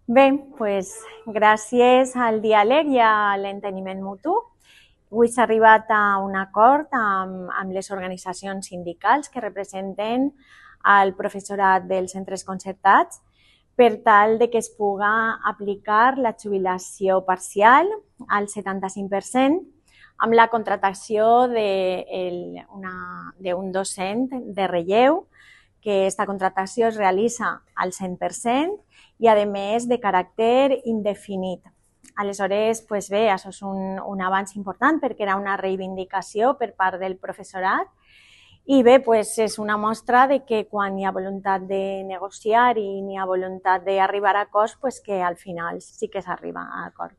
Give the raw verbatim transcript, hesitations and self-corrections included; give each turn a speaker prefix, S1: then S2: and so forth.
S1: Bé, doncs, gràcies al diàleg i a l'enteniment mutu, avui s'ha arribat a un acord amb, amb les organitzacions sindicals que representen el professorat dels centres concertats per tal de que es puga aplicar la jubilació parcial al setanta-cinc per cent amb la contractació d'un docent de relleu, que aquesta contractació es realitza al cent per cent i, a més, de caràcter indefinit. Aleshores, doncs bé, això és un, un avanç important perquè era una reivindicació per part del professorat i bé, doncs és una mostra de que quan hi ha voluntat de negociar i n'hi ha voluntat d'arribar a acords, doncs que al final sí que s'arriba a acords.